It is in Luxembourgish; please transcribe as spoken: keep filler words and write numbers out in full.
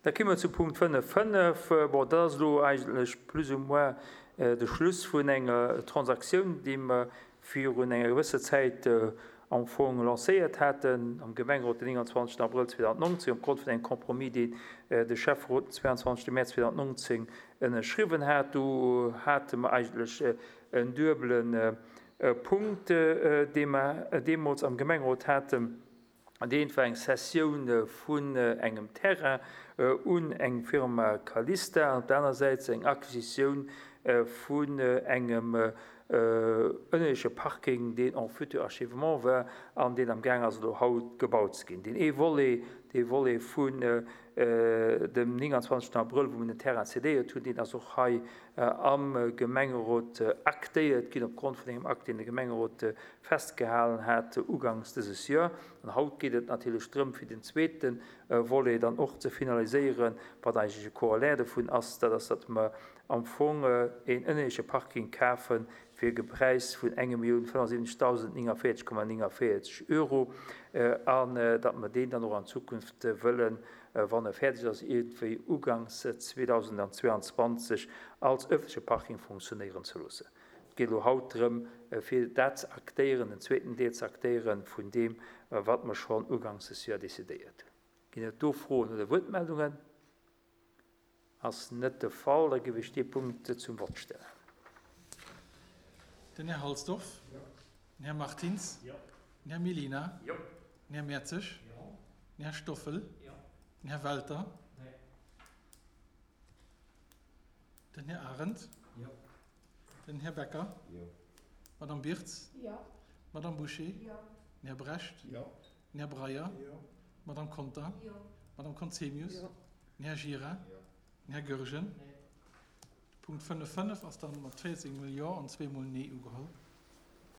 Da komme mer zu Punkt fënnef fënnef. Bon, dat ass elo eigentlech plus ou moins de Schluss vun enger Transaktioun, déi mer virun enger gewësser Zäit am Fong lancéiert haten am Gemengerot den nénganzwanzegsten Abrëll zweedausendnonzéng opgrond vun engem Compromis, deen de Schäfferot den zweiandzwanzegste Mäerz zweedausendnonzéng ënnerschriwwen hat. Do hate mer eigentlech en duebele Punkt, dee mer deemools am Gemengerot haten. Deen war eng Cessioun vun engem Terrain un eng Firma Calista an op der aner Säit eng Acquisitioun vun engem ënnerleche Parking, deen en futur achèvement war an deen am Gaang ass elo haut gebaut ze ginn. Deen ee Volet, dee Volet vun dem nénganzwanzegsten Abrëll, wou mir den Terrain cédéiert hunn, deen ass och hei am Gemengerot aktéiert ginn opgrond vun engem Akt, deen de Gemengerot festgehalen hat uganks dëses Joer. An haut geet et natierlech drëm, fir den zweete Volet dann och ze finaliséieren, wat eigentlech e Corollaire dovun ass, dat ass, datt mer am Fong een ënnerleche Parking kafe fir e Präis vun enge Millioun fënnefundsiwwenzegdausend néngavéierzeg Komma néngavéierzeg Euro an datt mer deen dann och an Zukunft wëllen, wann e fäerdeg ass, iergendwéi uganks zweedausendzweiandzwanzeg als ëffentleche Parking funktionéieren ze loossen. Et geet elo haut drëm, fir dat ze aktéieren, den zweeten Deel ze aktéieren vun deem, wat mer schonn uganks des Joer decidéiert hunn. Ginn et do Froen oder Wuertmeldungen? Ass net de Fall. Da géif ech dee Punkt zum Vott stellen. Den Här Halsdorf. Jo. Den Här Martins. Jo. Den Här Mellina. Jo. Den Här Mertzig. Jo. Den Här Stoffel. Jo. Den Här Welter. Nee. Den Här Arendt. Jo. Den Här Becker. Jo. Madame Birtz. Jo. Madame Boucher. Jo. Den Här Brecht. Jo. Den Här Breyer. Jo. Madame Conter. Jo. Madame Conzemius. Jo. Den Här Gira. Jo. Den Här Goergen. Nee. Punkt fënnef fënnef ass dann mat véierzéng mol Jo an zwee mol Nee ugeholl.